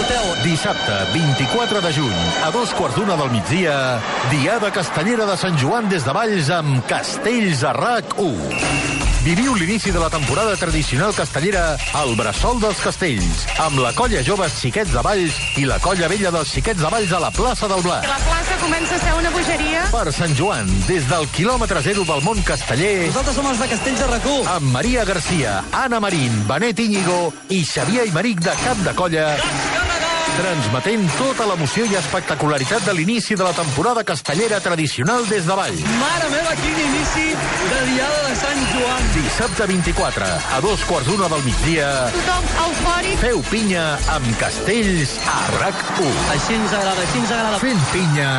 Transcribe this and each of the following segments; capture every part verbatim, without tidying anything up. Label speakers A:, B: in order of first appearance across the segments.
A: porteu.
B: Dissabte, vint-i-quatre de juny, a dos quarts d'una del migdia, Diada Castellera de Sant Joan des de Valls amb Castells a R A C u. Viviu l'inici de la temporada tradicional castellera al Bressol dels Castells, amb la colla joves Xiquets de Valls i la colla vella dels Xiquets de Valls a la plaça del Blat.
C: La plaça comença a ser una bogeria.
B: Per Sant Joan, des del quilòmetre zero del món casteller,
A: Nosaltres som els de Castells a R A C u.
B: amb Maria Garcia, Anna Marín, Benet Íñigo i Xavier Aymeric de cap de colla, transmetent tota l'emoció i espectacularitat de l'inici de la temporada castellera tradicional des de Valls.
A: Mare meva, quin inici de Diada de Sant Joan.
B: Dissabte vint-i-quatre, a dos quarts d'una del migdia,
C: Tothom eufòric.
B: feu pinya amb Castells a R A C u.
A: Així ens agrada, així ens agrada.
B: Fent pinya,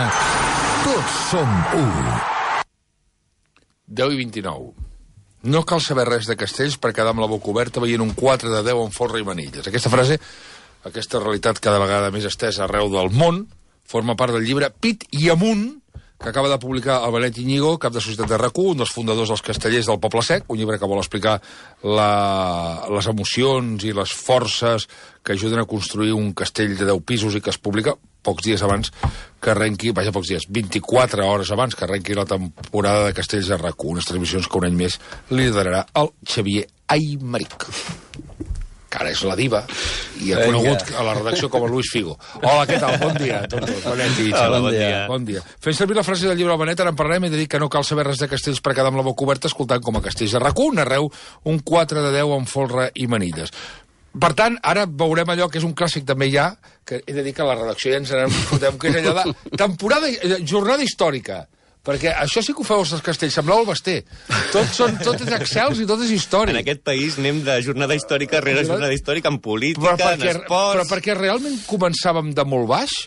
B: tots som u.
D: deu i vint-i-nou. No cal saber res de Castells per quedar amb la boca oberta veient un quatre de deu amb folre i manilles. Aquesta frase, aquesta realitat cada vegada més estesa arreu del món, forma part del llibre Pit i amunt, que acaba de publicar el Benet Íñigo, cap de Societat de R A C u, un dels fundadors dels Castellers del Poble Sec, un llibre que vol explicar la, les emocions i les forces que ajuden a construir un castell de deu pisos i que es publica pocs dies abans que arrenqui, vaja, pocs dies, vint-i-quatre hores abans que arrenqui la temporada de Castells de R A C u, unes transmissions que un any més liderarà el Xavier Aymeric, que ara és la diva, i ha conegut a la redacció com a Luis Figo. Hola, què tal? Bon dia a tots. Benet i Xavier.
A: Bon dia.
D: Bon dia. Fent servir la frase del llibre del Benet, ara en parlarem i de dir que no cal saber res de Castells per quedar amb la boca oberta escoltant com a Castells de R A C u narreu un quatre de deu amb folre i manilles. Per tant, ara veurem allò que és un clàssic també ja, que he de dir que a la redacció ja ens n'anem fotem, que és allò de temporada, jornada històrica. Perquè això sí que ho feu els Castells, sembleu el Basté. Tot, són, tot és excels i tot és històric.
E: En aquest país anem de jornada històrica rere jornada històrica en política,
D: Però
E: en
D: perquè,
E: esports...
D: però perquè realment començàvem de molt baix?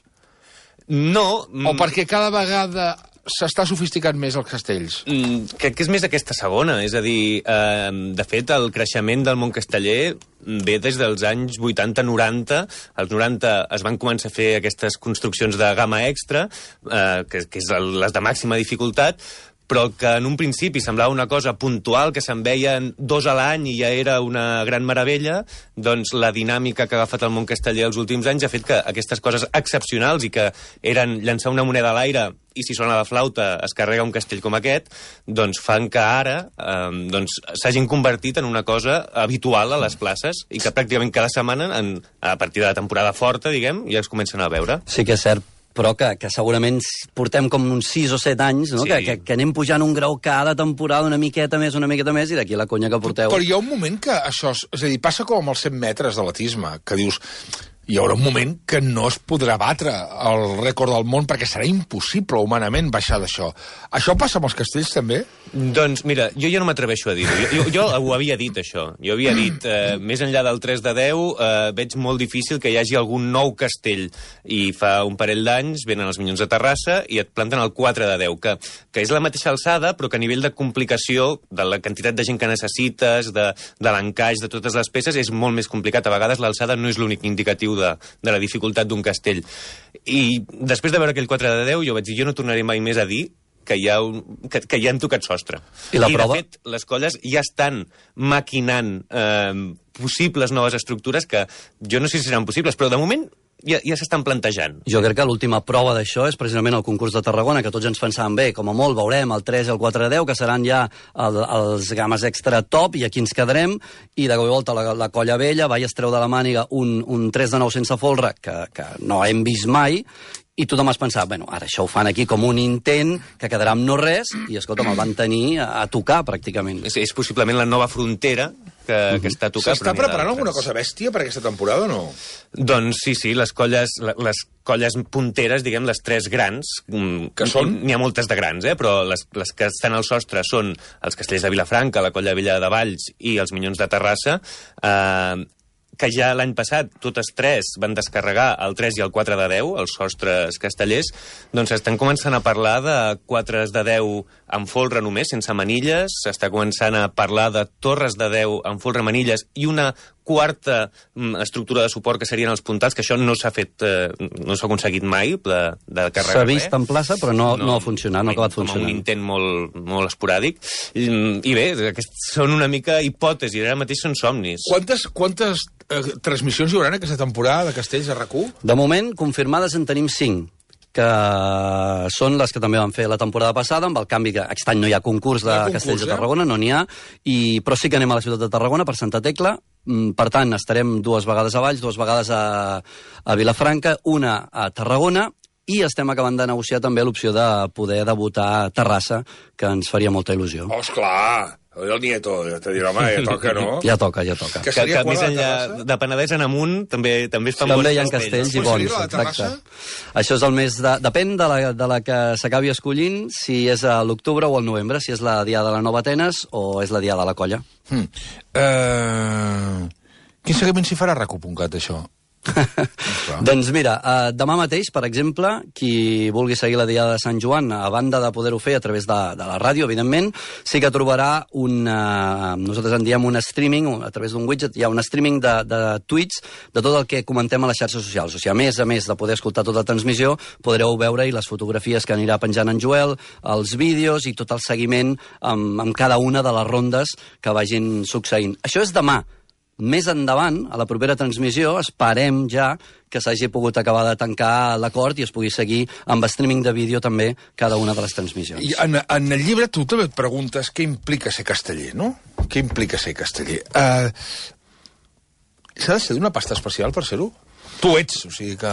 E: No...
D: O perquè cada vegada s'està sofisticant més els Castells?
E: Mm, crec que és més aquesta segona, és a dir, eh, de fet, el creixement del món casteller ve des dels anys vuitanta noranta. Als noranta es van començar a fer aquestes construccions de gamma extra, eh, que, que és el, les de màxima dificultat, però que en un principi semblava una cosa puntual, que se'n veien dos a l'any i ja era una gran meravella, doncs la dinàmica que ha agafat el món casteller els últims anys ha fet que aquestes coses excepcionals i que eren llançar una moneda a l'aire i si sona la flauta es carrega un castell com aquest, doncs fan que ara eh, doncs, s'hagin convertit en una cosa habitual a les places i que pràcticament cada setmana, en, a partir de la temporada forta, diguem, ja es comencen a veure.
A: Sí que és cert, però que, que segurament portem com uns sis o set anys, no?
E: Sí.
A: Que, que, que anem pujant un grau cada temporada una miqueta més, una miqueta més, i d'aquí la conya que porteu.
D: Però hi ha un moment que això... És, és a dir, passa com amb els cent metres d'atletisme, que dius... Hi haurà un moment que no es podrà batre el rècord del món perquè serà impossible humanament baixar d'això. Això passa amb els Castells també?
E: Doncs mira, jo ja no m'atreveixo a dir-ho. Jo, jo, jo ho havia dit, això. Jo havia dit, eh, més enllà del tres de deu, eh, veig molt difícil que hi hagi algun nou castell. I fa un parell d'anys venen els Minyons de Terrassa i et planten el quatre de deu, que, que és la mateixa alçada, però que a nivell de complicació, de la quantitat de gent que necessites, de, de l'encaix de totes les peces, és molt més complicat. A vegades l'alçada no és l'únic indicatiu de, de la dificultat d'un castell. I després de veure aquell quatre de deu, jo vaig dir, jo no tornaré mai més a dir que ja, un, que, que ja han tocat sostre.
A: I la
E: I
A: prova?
E: de fet, les colles ja estan maquinant eh, possibles noves estructures que jo no sé si seran possibles, però de moment ja, ja s'estan plantejant.
A: Jo crec que l'última prova d'això és precisament el concurs de Tarragona, que tots ens pensàvem, bé, com a molt veurem el tres i el quatre de deu, que seran ja el, els games extra top, i aquí ens quedarem, i de cop i volta la, la colla vella va i es treu de la màniga un, un tres de nou sense folre, que, que no hem vist mai, i tothom es pensava, bueno, ara això ho fan aquí com un intent, que quedarà amb no res, i escolta'm, el van tenir a, a tocar, pràcticament.
E: És, és possiblement la nova frontera que, uh-huh. que està a tocar.
D: S'està preparant alguna cosa bèstia per aquesta temporada o no?
E: Doncs sí, sí, les colles, les colles punteres, diguem, les tres grans,
D: que són?
E: N'hi ha moltes de grans, eh? Però les, les que estan al sostre són els Castells de Vilafranca, la colla vella de Valls i els Minyons de Terrassa, eh, que ja l'any passat totes tres van descarregar el tres i el quatre de deu, els sostres castellers, doncs estan començant a parlar de quatre de deu amb folre només, sense manilles, s'està començant a parlar de torres de Déu amb folre, manilles, i una quarta estructura de suport que serien els puntals, que això no s'ha fet, eh, no s'ha aconseguit mai, de, de carregar.
A: S'ha vist en plaça, però no, no, no ha funcionat, no ha acabat funcionant.
E: Com un intent molt, molt esporàdic. I, i bé, aquests són una mica hipòtesis, ara mateix són somnis.
D: Quantes, quantes eh, transmissions hi haurà aquesta temporada de Castells a RAC u?
A: De moment, confirmades en tenim cinc, que són les que també van fer la temporada passada, amb el canvi que aquest any no hi ha concurs de
D: concurs,
A: Castells de
D: eh?
A: Tarragona, no n'hi ha, i, però sí que anem a la ciutat de Tarragona, per Santa Tecla. Per tant, estarem dues vegades a Valls, dues vegades a, a Vilafranca, una a Tarragona, i estem acabant de negociar també l'opció de poder debutar a Terrassa, que ens faria molta il·lusió.
D: Oh, esclar! El nieto, ja te dirà, home, ja toca, no?
A: Ja toca, ja toca.
D: Que
E: Que,
D: seria
E: que més
D: qual, la
E: enllà
D: Terrassa?
E: de Penedès en amunt també també es fan
A: També
E: bons
A: hi ha
E: castells.
A: castells i
D: Quan
A: bons,
D: seria la de Terrassa?
A: exacte. Això és el mes de... Depèn de la, de la que s'acabi escollint, si és a l'octubre o al novembre, si és la diada de la Nova Atenes o és la diada de la Colla.
D: Hmm. Uh... Quin seguiment s'hi farà a RAC u punt cat, això?
A: Doncs mira, uh, demà mateix, per exemple, qui vulgui seguir la Diada de Sant Joan, a banda de poder-ho fer a través de, de la ràdio, evidentment, sí que trobarà un... Uh, nosaltres en diem un streaming, a través d'un widget, hi ha un streaming de, de tweets de tot el que comentem a les xarxes socials. O sigui, a més a més de poder escoltar tota la transmissió, podreu veure-hi les fotografies que anirà penjant en Joel, els vídeos i tot el seguiment amb, amb cada una de les rondes que vagin succeint. Això és demà. Més endavant, a la propera transmissió, esperem ja que s'hagi pogut acabar de tancar l'acord i es pugui seguir amb streaming de vídeo també cada una de les transmissions.
D: I en, en el llibre tu també et preguntes què implica ser casteller, no? Què implica ser casteller? Uh, S'ha de ser d'una pasta especial per ser-ho? Tu ets, o sigui que...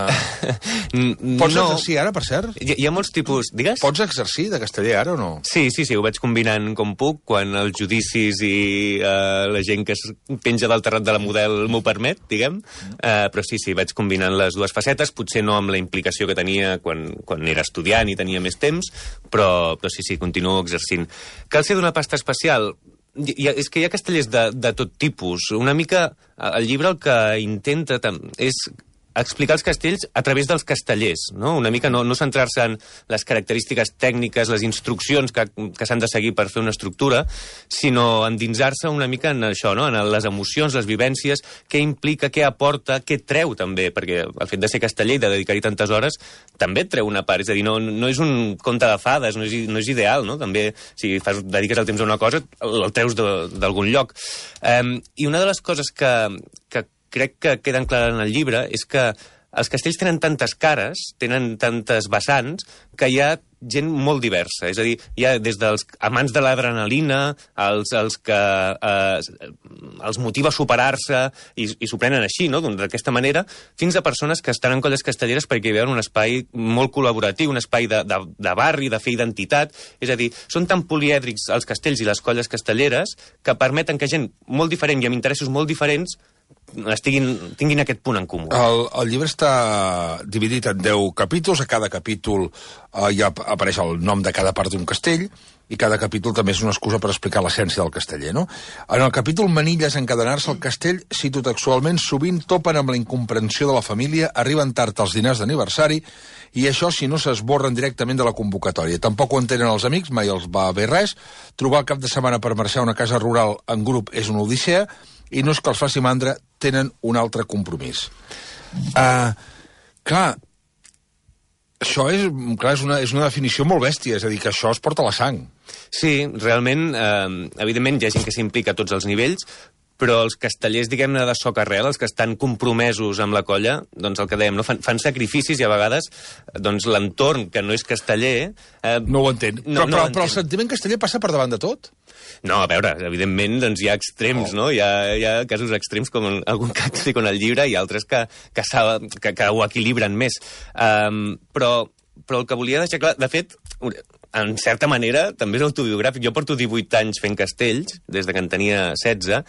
D: Pots
E: no.
D: exercir ara, per cert?
E: Hi, hi ha molts tipus... Digues?
D: Pots exercir de casteller ara o no?
E: Sí, sí, sí, ho vaig combinant com puc, quan els judicis i uh, la gent que es penja del terrat de la model m'ho permet, diguem. Uh, però sí, sí, vaig combinant les dues facetes, potser no amb la implicació que tenia quan, quan era estudiant i tenia més temps, però, però sí, sí, continuo exercint. Cal ser d'una pasta especial? Hi ha, és que hi ha castellers de, de tot tipus. Una mica, el llibre el que intenta és explicar els castells a través dels castellers, no? Una mica no, no centrar-se en les característiques tècniques, les instruccions que, que s'han de seguir per fer una estructura, sinó endinsar-se una mica en això, no? En les emocions, les vivències, què implica, què aporta, què treu també, perquè el fet de ser casteller i de dedicar-hi tantes hores també et treu una part, és a dir, no, no és un conte de fades, no és, no és ideal, no? També, si fas, dediques el temps a una cosa, el, el treus d'algun lloc. Um, I una de les coses que, que crec que queden clares en el llibre és que els castells tenen tantes cares, tenen tantes vessants, que hi ha gent molt diversa. És a dir, hi ha des dels amants de l'adrenalina, els, els que eh, els motiva a superar-se i, i s'ho prenen així, no? D'aquesta manera, fins a persones que estan en colles castelleres perquè hi veuen un espai molt col·laboratiu, un espai de, de, de barri, de fer identitat. És a dir, són tan polièdrics els castells i les colles castelleres que permeten que gent molt diferent i amb interessos molt diferents estiguin, tinguin aquest punt en comú.
D: El, el llibre està dividit en deu capítols. A cada capítol eh, ja apareix el nom de cada part d'un castell i cada capítol també és una excusa per explicar l'essència del casteller, no? En el capítol Manilles encadenar-se al castell, cito textualment, sovint topen amb la incomprensió de la família, arriben tard als dinars d'aniversari i això si no s'esborren directament de la convocatòria. Tampoc ho entenen els amics, mai els va bé res. Trobar el cap de setmana per marxar a una casa rural en grup és una odissea i no és que els faci mandra, tenen un altre compromís. Uh, clar, això és, clar, és, una, és una definició molt bèstia, és a dir, que això es porta a la sang.
E: Sí, realment, eh, evidentment hi ha gent que s'implica a tots els nivells, però els castellers, diguem-ne, de soc arrel, els que estan compromesos amb la colla, doncs el que dèiem, no? fan, fan sacrificis i a vegades doncs, l'entorn, que no és casteller... Eh,
D: no ho entén.
E: No,
D: però,
E: no
D: però,
E: ho
D: però el
E: entén.
D: sentiment casteller passa per davant de tot?
E: No, a veure, evidentment doncs, hi ha extrems, oh. no? Hi ha, hi ha casos extrems, com en algun que explico en el llibre, i altres que, que, que, que ho equilibren més. Um, però, però el que volia deixar clar... De fet, en certa manera, també és autobiogràfic. Jo porto divuit anys fent castells, des de que en tenia setze,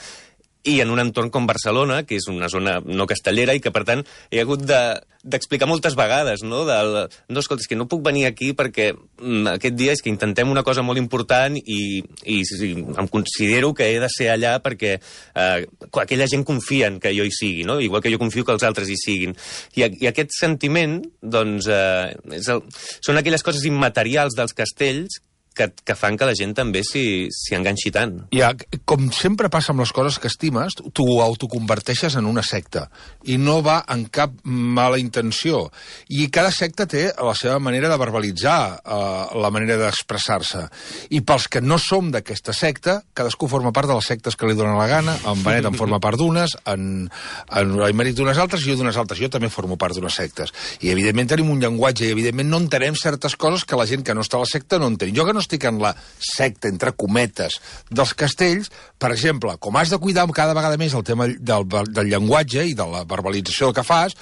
E: i en un entorn com Barcelona, que és una zona no castellera, i que, per tant, he hagut d'explicar de, moltes vegades, no? Del, no, escolta, és que no puc venir aquí perquè mm, aquest dia és que intentem una cosa molt important i, i, i em considero que he de ser allà perquè eh, aquella gent confia en que jo hi sigui, no? Igual que jo confio que els altres hi siguin. I, i aquest sentiment, doncs, eh, és el, són aquelles coses immaterials dels castells que, que fan que la gent també s'hi enganxi tant.
D: Ja, com sempre passa amb les coses que estimes, tu ho autoconverteixes en una secta i no va en cap mala intenció. I cada secta té la seva manera de verbalitzar, eh, la manera d'expressar-se. I pels que no som d'aquesta secta, cadascú forma part de les sectes que li donen la gana, en Benet en forma part d'unes, en, en l'Aimeric d'unes altres i jo d'unes altres. Jo també formo part d'unes sectes. I evidentment tenim un llenguatge i evidentment no entenem certes coses que la gent que no està a la secta no entén. Jo que no estic en la secta, entre cometes, dels castells, per exemple, com has de cuidar cada vegada més el tema del, del llenguatge i de la verbalització del que fas,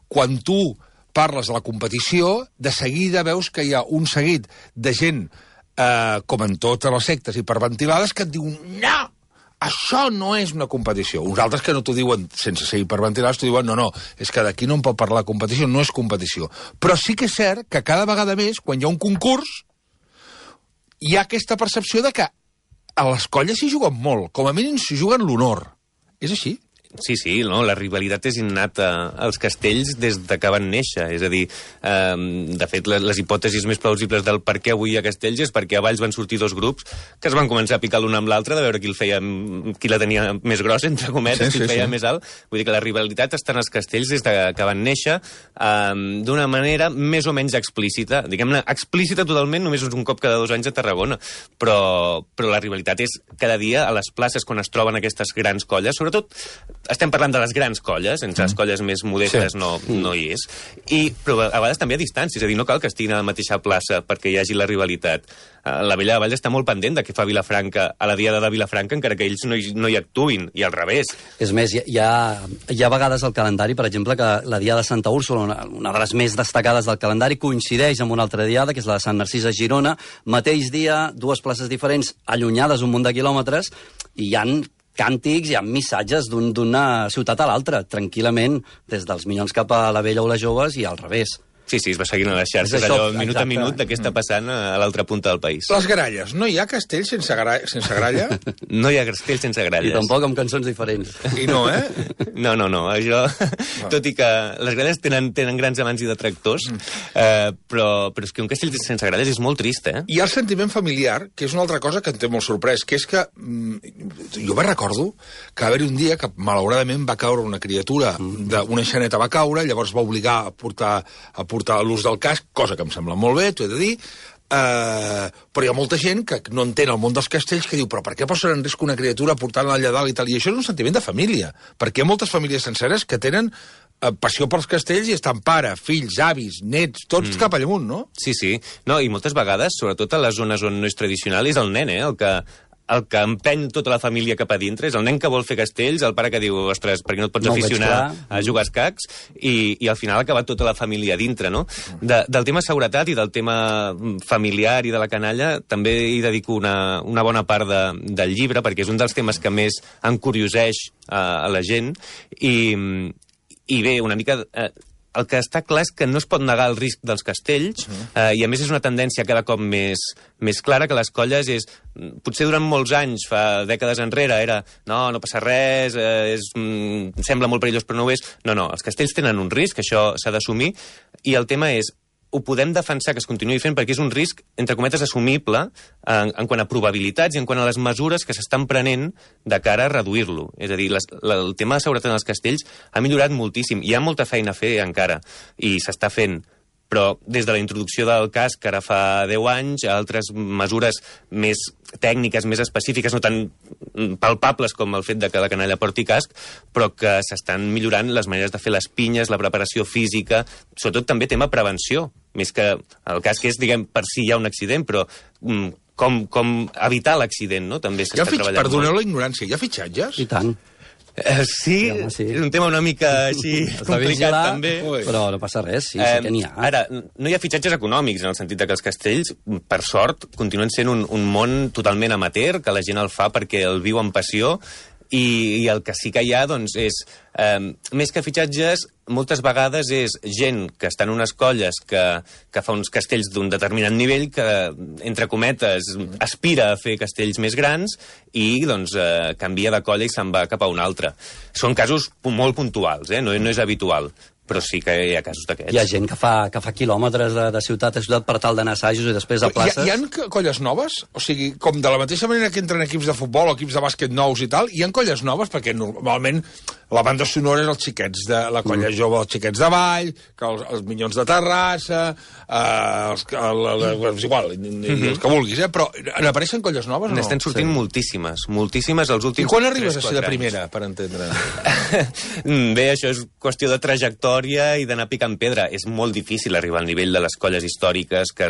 D: quan tu parles de la competició, de seguida veus que hi ha un seguit de gent, eh, com en totes les sectes hiperventilades, que et diuen no, això no és una competició. Uns altres que no t'ho diuen sense ser hiperventilats, t'ho diuen no, no, és que d'aquí no en pot parlar de competició, no és competició. Però sí que és cert que cada vegada més, quan hi ha un concurs, hi ha aquesta percepció de que a les colles s'hi juguen molt, com a mínim s'hi juguen l'honor. És així?
E: Sí, sí, no? La rivalitat és innata als castells des de que van néixer. És a dir, eh, de fet, les, les hipòtesis més plausibles del per què avui hi ha castells és perquè a Valls van sortir dos grups que es van començar a picar l'un amb l'altre de veure qui el feia, qui la tenia més grossa, entre cometes, sí, qui el feia sí. més alt. Vull dir que la rivalitat està en els castells des de que van néixer eh, d'una manera més o menys explícita. Diguem-ne, explícita totalment només un cop cada dos anys a Tarragona. Però, però la rivalitat és cada dia a les places quan es troben aquestes grans colles, sobretot estem parlant de les grans colles, entre les colles més modestes sí. no, no hi és, I, però a vegades també a distància, és a dir, no cal que estiguin a la mateixa plaça perquè hi hagi la rivalitat. La Vella de Valls està molt pendent de què fa Vilafranca a la Diada de Vilafranca, encara que ells no hi, no hi actuïn, i al revés.
A: És més, hi ha, hi ha vegades al calendari, per exemple, que la Diada de Santa Úrsula, una, una de les més destacades del calendari, coincideix amb una altra diada, que és la de Sant Narcís a Girona, mateix dia, dues places diferents, allunyades un munt de quilòmetres, i hi ha càntics, hi ha missatges d'una un, ciutat a l'altra, tranquil·lament, des dels Minyons cap a la Vella o les Joves i al revés.
E: Sí, sí, es va seguint a les xarxes, això, allò minut exacte. a minut de què està passant a l'altra punta del país.
D: Les gralles. No hi ha castell sense, gra... sense gralla?
E: No hi ha castell sense gralles.
A: I tampoc amb cançons diferents.
D: I no, eh?
E: No, no, no. Això, no. Tot i que les gralles tenen, tenen grans amants i detractors, mm. eh, però, però és que un castell sense gralles és molt trist, eh?
D: Hi ha el sentiment familiar, que és una altra cosa que em té molt sorprès, que és que mm, jo me recordo que va haver-hi un dia que malauradament va caure una criatura, mm. d'una xaneta va caure, llavors va obligar a portar, a portar l'ús del casc, cosa que em sembla molt bé, t'ho he de dir, Uh, però hi ha molta gent que no entén el món dels castells que diu, però per què posen en risc una criatura portant-la allà dalt i tal? I això és un sentiment de família, perquè hi ha moltes famílies senceres que tenen uh, passió pels castells i estan pare, fills, avis, nets, tots mm. cap allà, no?
E: Sí, sí. No, i moltes vegades, sobretot a les zones on no és tradicional, és el nen, eh, el que el que empeny tota la família cap a dintre és el nen que vol fer castells, el pare que diu, ostres, per què no et pots no aficionar a jugar als cacs, i, i al final ha acabat tota la família dintre, no? De, del tema seguretat i del tema familiar i de la canalla també hi dedico una, una bona part de, del llibre, perquè és un dels temes que més encurioseix a, a la gent, i, i bé, una mica... Eh, el que està clar és que no es pot negar el risc dels castells, eh, i a més és una tendència cada cop més, més clara, que les colles és... Potser durant molts anys, fa dècades enrere, era no, no passa res, eh, és, mm, sembla molt perillós però no ho és. No, no, els castells tenen un risc, això s'ha d'assumir, i el tema és ho podem defensar que es continuï fent perquè és un risc, entre cometes, assumible en, en quant a probabilitats i en quant a les mesures que s'estan prenent de cara a reduir-lo. És a dir, les, la, el tema de seguretat en els castells ha millorat moltíssim. Hi ha molta feina a fer encara i s'està fent. Però des de la introducció del casc, que ara fa deu anys, a altres mesures més tècniques, més específiques, no tan palpables com el fet de que la canalla porti casc, però que s'estan millorant les maneres de fer les pinyes, la preparació física, sobretot també tema prevenció, més que el casc és, diguem, per si hi ha un accident, però mm, com, com evitar l'accident, no? També s'està treballant.
D: Perdoneu la ignorància, hi ha fitxatges?
A: I tant.
E: Uh, sí, sí, sí, és un tema una mica així complicat, vigilar, també.
A: Però no passa res, sí, sí que n'hi ha.
E: Ara, no hi ha fitxatges econòmics, en el sentit de que els castells, per sort, continuen sent un, un món totalment amateur, que la gent el fa perquè el viu amb passió, i, i el que sí que hi ha, doncs, és... Eh, més que fitxatges, moltes vegades és gent que està en unes colles que, que fa uns castells d'un determinat nivell, que, entre cometes, aspira a fer castells més grans i, doncs, eh, canvia de colla i se'n va cap a una altra. Són casos molt puntuals, eh? no, no és habitual. però sí que hi ha casos d'aquests.
A: Hi ha gent que fa, que fa quilòmetres de, de ciutat a ciutat per tal d'anar a assajos i després a places...
D: Hi ha, hi ha colles noves? O sigui, com de la mateixa manera que entren equips de futbol o equips de bàsquet nous i tal, hi ha colles noves? Perquè normalment la banda sonora és els xiquets de la colla mm. jove, els xiquets de Vall, que els, els Minyons de Terrassa, eh, els, el, el, el, igual, mm-hmm. els que vulguis, eh? Però n'apareixen colles noves o no?
E: N'estan sortint sí. moltíssimes, moltíssimes els últims...
D: I quan arribes a ser de primera, per entendre?
E: Bé, això és qüestió de trajectòria i d'anar picant pedra. És molt difícil arribar al nivell de les colles històriques que,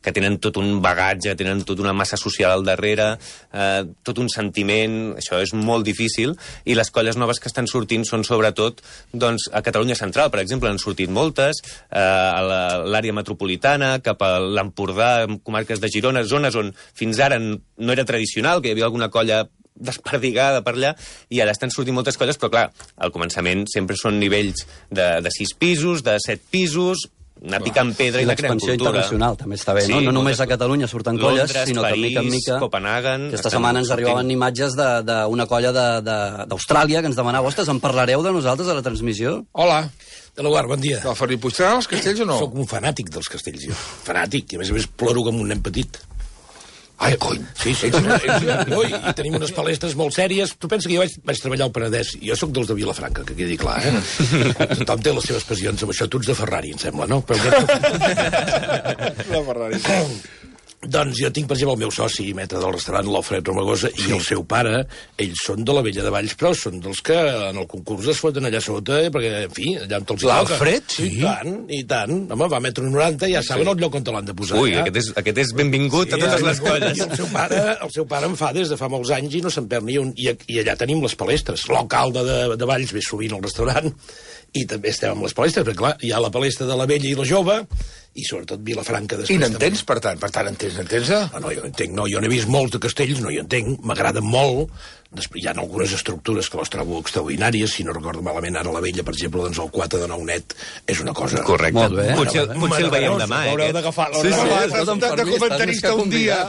E: que tenen tot un bagatge, tenen tota una massa social al darrere, eh, tot un sentiment, això és molt difícil, i les colles noves que estan sortint són sobretot doncs, a Catalunya Central, per exemple, han sortit moltes, eh, a l'àrea metropolitana, cap a l'Empordà, comarques de Girona, zones on fins ara no era tradicional, que hi havia alguna colla desperdigada per allà, i ara estan sortint moltes colles, però clar, al començament sempre són nivells de, de sis pisos, de set pisos, anar picant pedra i, i la creant cultura.
A: L'expansió internacional també està bé, sí, no? No només a Catalunya surten colles,
E: Londres,
A: sinó
E: París,
A: que mica en mica...
E: Copenhagen...
A: Aquesta setmana ens arribaven sortint imatges d'una colla d'Austràlia que ens demanava, ostres, en parlareu de nosaltres a la transmissió?
D: Hola.
F: De la Guard, bon dia.
D: Del Ferri Puigdemont als castells o no?
F: Soc un fanàtic dels castells, jo. Fanàtic, i a més a més ploro com un nen petit.
D: Ai, cony.
F: Sí, sí, sí. No, i, i tenim unes palestres molt sèries. Tu pensa que jo vaig, vaig treballar al Penedès. Jo sóc dels de Vilafranca, que quedi clar, eh? Tothom té les seves passions amb això. Tu ets de Ferrari, em sembla, no? Però
D: la Ferrari.
F: Doncs jo tinc, per exemple, el meu soci, metre del restaurant, l'Alfred Romagosa, sí. I el seu pare, ells són de la Vella de Valls, però són dels que en el concurs es foten allà sota, perquè, en fi, allà on te'ls toca.
D: L'Alfred? Sí.
F: I tant, i tant. Home, va a metre noranta, ja saben sí. el lloc on te l'han de posar.
E: Ui,
F: ja.
E: aquest, és, aquest és benvingut sí, a totes les colles.
F: I el seu, pare, el seu pare em fa des de fa molts anys i no se'n perd ni un. I, i allà tenim les palestres. L'alcalde de, de Valls ve sovint al restaurant i també estem amb les palestres, perquè clar, hi ha la palestra de la vella i la jove, i sobretot Vilafranca després.
D: I n'entens, per tant? Per tant, entens, n'entens?
F: No, no, jo entenc, no, jo n'he vist molts de castells, no hi entenc, m'agraden molt. Després hi ha algunes estructures que les trobo extraordinàries, si no recordo malament, ara la vella, per exemple, doncs el quatre de nou net és una cosa...
E: Correcte.
A: Molt bé.
E: Potser, potser el veiem demà, eh?
F: L'haureu d'agafar.
D: Sí, sí, de, de comentarista un dia.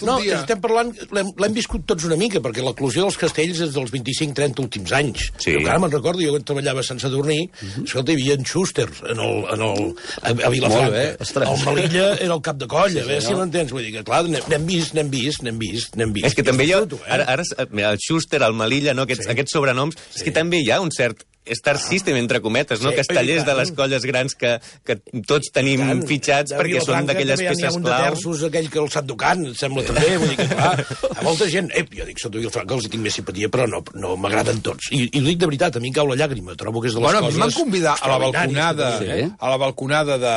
F: No, estem parlant, l'hem viscut tots una mica, perquè l'eclusió dels castells és dels vint-i-cinc trenta últims anys.
E: Sí.
F: Jo encara me'n recordo, jo quan treballava a Sant Sadurní, escolta, hi havia en Schuster en el, en el, a Vilafranca. El Melilla era el cap de colla, a veure si m'entens. Vull dir que, clar, n'hem vist, n'hem vist, n'hem vist, n'hem vist.
E: És que també hi ha... Ara, ara, el Schuster, el Melilla, no? aquests, sí. aquests sobrenoms, sí. és que també hi ha un cert star system, entre cometes, no? Sí, castellers de les colles grans que, que tots tenim tant, fitxats perquè són d'aquelles peces clau.
F: També hi ha un de terços, aquell que el sap tocant, em sembla també, vull dir que, clar, a molta gent, ep, jo dic, sóc de Vilafranca, els tinc més simpatia, però no, no m'agraden tots. I, I ho dic de veritat, a mi em cau la llàgrima, trobo que és de les
D: bueno,
F: coses...
D: Bueno, m'han convidat a la balconada,
A: sí.
D: a la balconada de,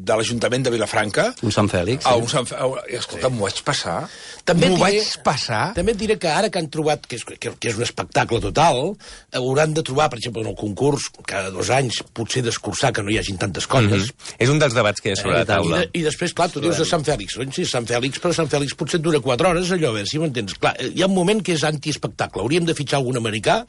D: de l'Ajuntament de Vilafranca.
A: Un Sant Fèlix.
D: Sí. Un Sant Fèlix. Escolta, m'ho vaig passar.
F: M'ho
D: vaig passar.
F: També et diré que ara que han trobat, que és, que, que és un espectacle total, hauran de trobar, per exemple, en el concurs, cada dos anys, potser d'escurçar que no hi hagin tantes colles.
E: Mm -hmm. És un dels debats que hi ha sobre eh, la taula.
F: I, de, I després, clar, tu dius de Sant Fèlix. Doncs sí, Sant Fèlix, però Sant Fèlix potser et dura quatre hores, allò, a veure si m'entens. Clar, hi ha un moment que és antiespectacle. Hauríem de fitxar algun americà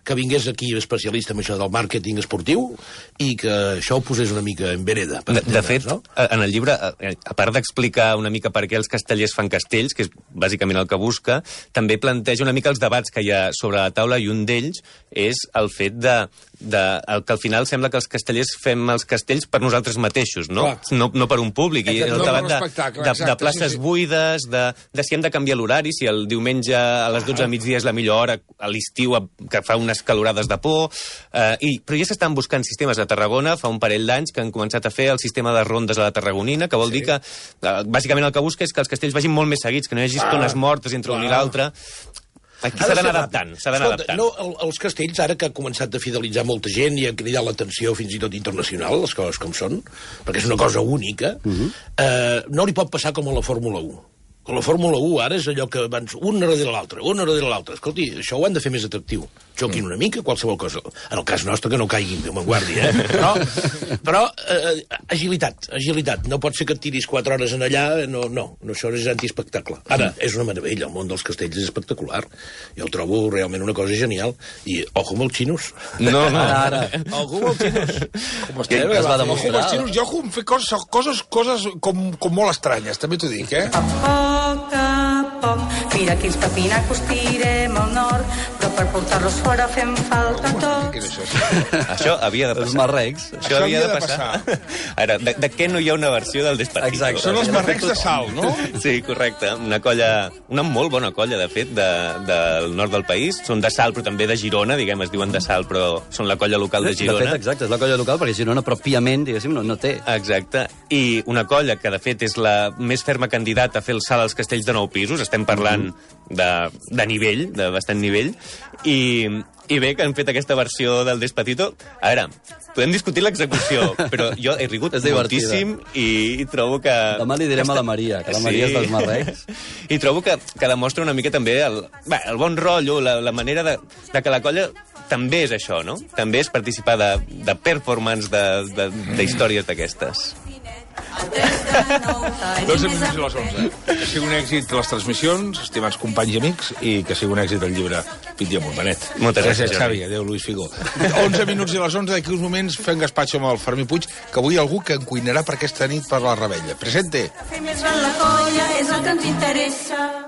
F: que vingués aquí especialista en això del màrqueting esportiu i que això ho posés una mica en vereda.
E: De, de fet, no? En el llibre, a part d'explicar una mica per què els castellers fan castells, que és bàsicament el que busca, també planteja una mica els debats que hi ha sobre la taula, i un d'ells és el fet de, de el que al final sembla que els castellers fem els castells per nosaltres mateixos, no? No, no per un públic. I el
D: no
E: debat de, de, de places sí, sí. buides, de, de si hem de canviar l'horari, si el diumenge a les dotze del migdia és la millor hora, a l'estiu que fa unes calorades de por, eh, i, però ja s'estan buscant sistemes a Tarragona, fa un parell d'anys que han començat a fer el sistema de rondes a la Tarragonina, que vol sí. dir que, eh, bàsicament el que busca és que els castells vagin molt més seguits, que no hi hagi estones mortes entre ah. un i l'altre. Aquí s'ha d'anar adaptant, s'ha d'anar adaptant.
F: No, el, els castells, ara que ha començat a fidelitzar molta gent i ha cridat l'atenció fins i tot internacional, les coses com són, perquè és una cosa única, uh -huh. eh, no li pot passar com a la Fórmula u. Con la Fórmula u ara és allò que van un darrere l'altre, un darrere l'altre. Escolti, això ho han de fer més atractiu. Xoquin una mica, qualsevol cosa. En el cas nostre, que no caiguin, Déu me'n guardi, eh? Però, però eh, agilitat, agilitat. No pot ser que et tiris quatre hores en allà, no, no, no això és antiespectacle. Ara, és una meravella, el món dels castells és espectacular. Jo el trobo realment una cosa genial. I, ojo amb els xinos.
E: No, no.
A: Ara, ara.
F: Ojo amb els xinos.
A: Com estem, es va demostrar.
D: Ojo amb els xinos, jo ojo amb fer coses, coses, coses com, com molt estranyes, també t'ho dic, eh?
G: A poc a poc, mira quins papinacos tirem al nord, però per portar-los fora fem falta tot.
D: dir això. Sí.
E: Això havia de passar.
A: Els marrecs.
E: Això havia de passar. Ara, de, de què no hi ha una versió del Despacito?
A: Exacte.
D: Són els marrecs de sal, no?
E: Sí, correcte. Una colla, una molt bona colla, de fet, de, del nord del país. Són de Salt, però també de Girona, diguem, es diuen de Salt, però són la colla local de Girona.
A: De fet, exacte, és la colla local, perquè Girona pròpiament, diguéssim, no, no té.
E: Exacte. I una colla que, de fet, és la més ferma candidata a fer el salt als castells de nou pisos. Estem parlant de, de nivell, de bastant nivell. I, I bé, que han fet aquesta versió del Despacito. A veure, podem discutir l'execució, però jo he rigut moltíssim i, i trobo que...
A: Demà li direm a la Maria, que la Maria és dels marrecs.
E: I trobo que, que demostra una mica també el, bé, el bon rotllo, la, la manera de, de que la colla també és això, no? També és participar de, de performance, de, de, de històries d'aquestes.
D: dotze minuts i les onze. Que sigui un èxit les transmissions, estimats companys i amics, i que sigui un èxit el llibre Pit i amunt, Benet.
E: Moltes gràcies,
D: gràcies Xavi. Adéu, Luis Figo. onze minuts i les onze, d'aquí uns moments fem gaspatxo amb el Fermí Puig, que avui algú que en cuinarà per aquesta nit per la Rebella. Presente!
G: Fer més gran la colla és el que ens interessa.